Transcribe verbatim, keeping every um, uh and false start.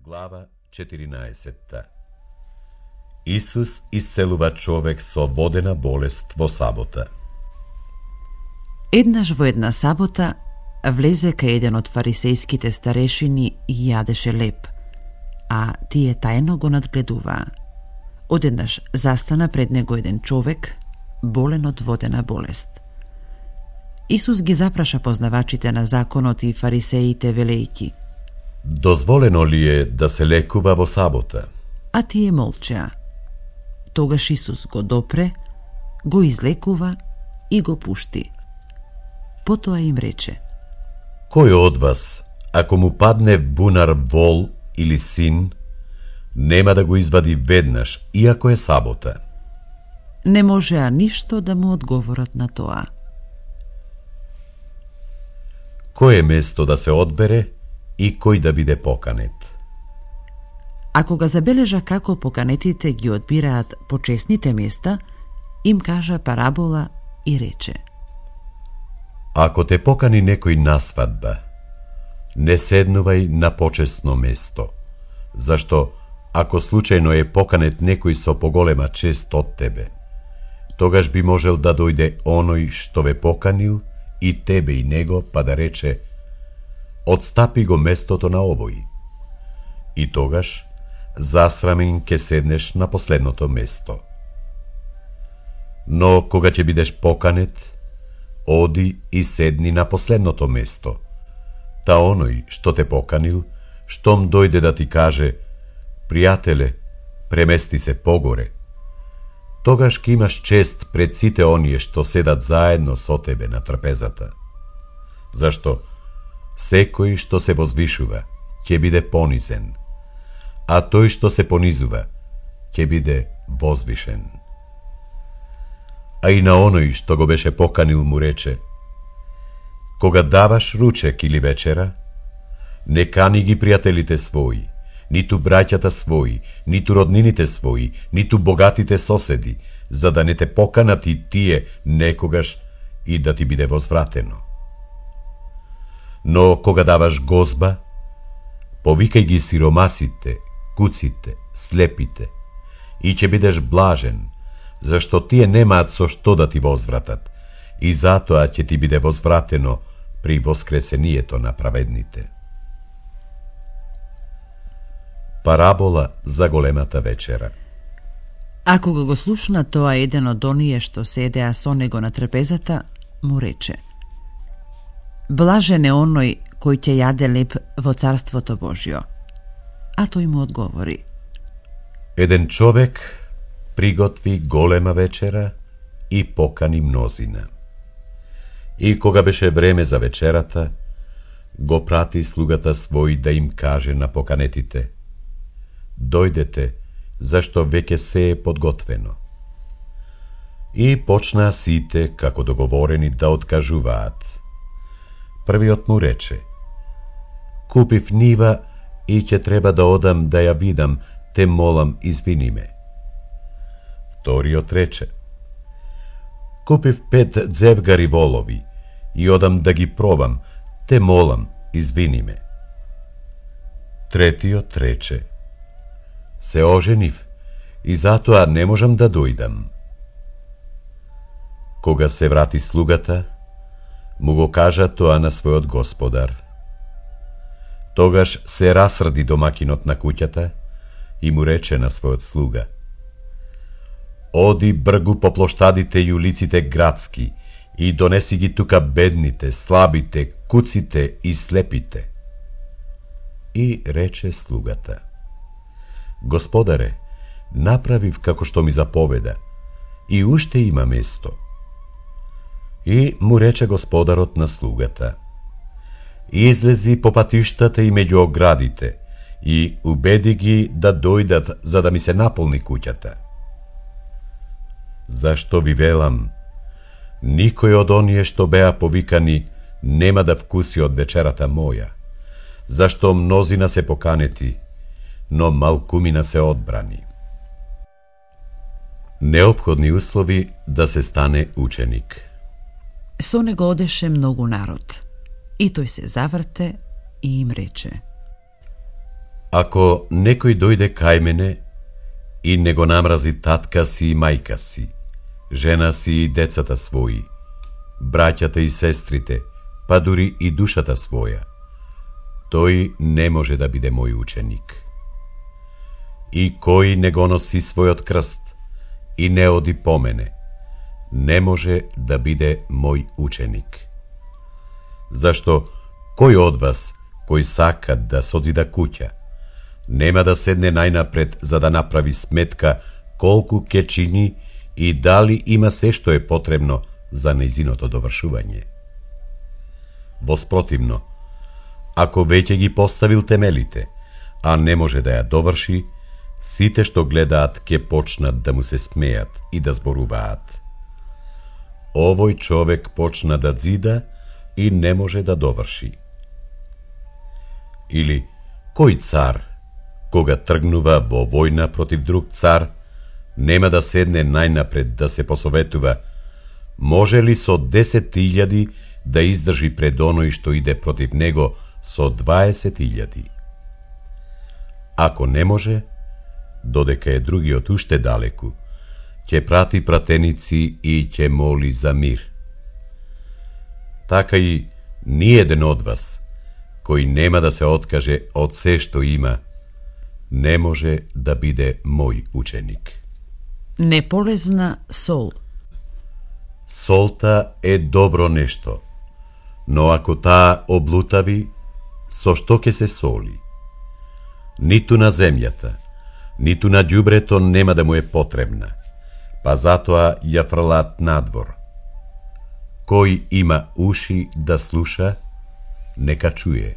Глава четиринаесетта. Исус исцелува човек со водена болест во сабота. Еднаш во една сабота влезе кај еден од фарисејските старешини и јадеше леб, а тие тајно го надгледуваа. Одеднаш застана пред него еден човек, болен од водена болест. Исус ги запраша познавачите на законот и фарисеите велејќи: Дозволено ли е да се лекува во сабота? А тие молчеа. Тогаш Исус го допре, го излекува и го пушти. Потоа им рече: Кој од вас, ако му падне в бунар вол или син, нема да го извади веднаш, иако е сабота? Не можеа ништо да му одговорат на тоа. Кој е место да се одбере и кој да биде поканет? А кога забележа како поканетите ги одбираат почесните места, им кажа парабола и рече: Ако те покани некој на свадба, не седнувај на почесно место, зашто ако случајно е поканет некој со поголема чест од тебе, тогаш би можел да дојде оној што ве поканил и тебе и него, па да рече: Отстапи го местото на овој. И тогаш засрамен ке седнеш на последното место. Но кога ќе бидеш поканет, оди и седни на последното место, та оној што те поканил, штом дојде да ти каже: Пријателе, премести се погоре, тогаш ке имаш чест пред сите оние што седат заедно со тебе на трпезата. Зашто секој што се возвишува ќе биде понизен, а тој што се понизува ќе биде возвишен. А и на оној што го беше поканил му рече: Кога даваш ручек или вечера, не кани ги пријателите своји, ниту браќата своји, ниту роднините своји, ниту богатите соседи, за да не те поканат и тие некогаш и да ти биде возвратено. Но кога даваш гозба, повикај ги сиромасите, куците, слепите, и ќе бидеш блажен, зашто тие немаат со што да ти возвратат, и затоа ќе ти биде возвратено при воскресението на праведните. Парабола за големата вечера. А кога го слушна тоа, еден од оние што седеа со него на трпезата му рече: Блажен е оној кој ќе јаде леб во Царството Божјо. А тој му одговори: Еден човек приготви голема вечера и покани мнозина. И кога беше време за вечерата, го прати слугата свој да им каже на поканетите: Дојдете, зашто веќе се е подготвено. И почнаа сите, како договорени, да откажуваат. Првиот му рече: Купив нива и ќе треба да одам да ја видам, те молам, извини ме. Вториот рече: Купив пет дзевгари волови и одам да ги пробам, те молам, извини ме. Третиот рече: Се оженив и затоа не можам да дојдам. Кога се врати слугата, му го кажа тоа на својот господар. Тогаш се расрди домакинот на куќата и му рече на својот слуга: Оди бргу по плоштадите и улиците градски и донеси ги тука бедните, слабите, куците и слепите. И рече слугата: Господаре, направив како што ми заповеда, и уште има место. И му рече господарот на слугата: Излези по патиштата и меѓу оградите и убеди ги да дојдат за да ми се наполни куќата. Зашто ви велам, никој од оние што беа повикани нема да вкуси од вечерата моја, зашто мнозина се поканети, но малкумина се одбрани. Неопходни услови да се стане ученик. Со него одеше многу народ, и тој се заврте и им рече: Ако некој дојде кај мене и не го намрази татка си и мајка си, жена си и децата своји, браќата и сестрите, па дури и душата своја, тој не може да биде мој ученик. И кој не го носи својот крст и не оди по мене, не може да биде мој ученик. Зашто кој од вас, кој сака да созида куќа, нема да седне најнапред за да направи сметка колку ќе чини и дали има се што е потребно за нејзиното довршување. Воспротивно, ако веќе ги поставил темелите, а не може да ја доврши, сите што гледаат ќе почнат да му се смеат и да зборуваат: овој човек почна да зида и не може да доврши. Или кој цар, кога тргнува во војна против друг цар, нема да седне најнапред да се посоветува може ли со десет илјади да издржи пред оној што иде против него со дваесет илјади. Ако не може, додека е другиот уште далеку, ќе прати пратеници и ќе моли за мир. Така и ниеден од вас, кој нема да се откаже од се што има, не може да биде мој ученик. Неполезна сол. Солта е добро нешто, но ако таа облутави, со што ќе се соли? Ниту на земјата, ниту на ѓубрето нема да му е потребна, па затоа ја фрлаат надвор. Кој има уши да слуша, нека чуе.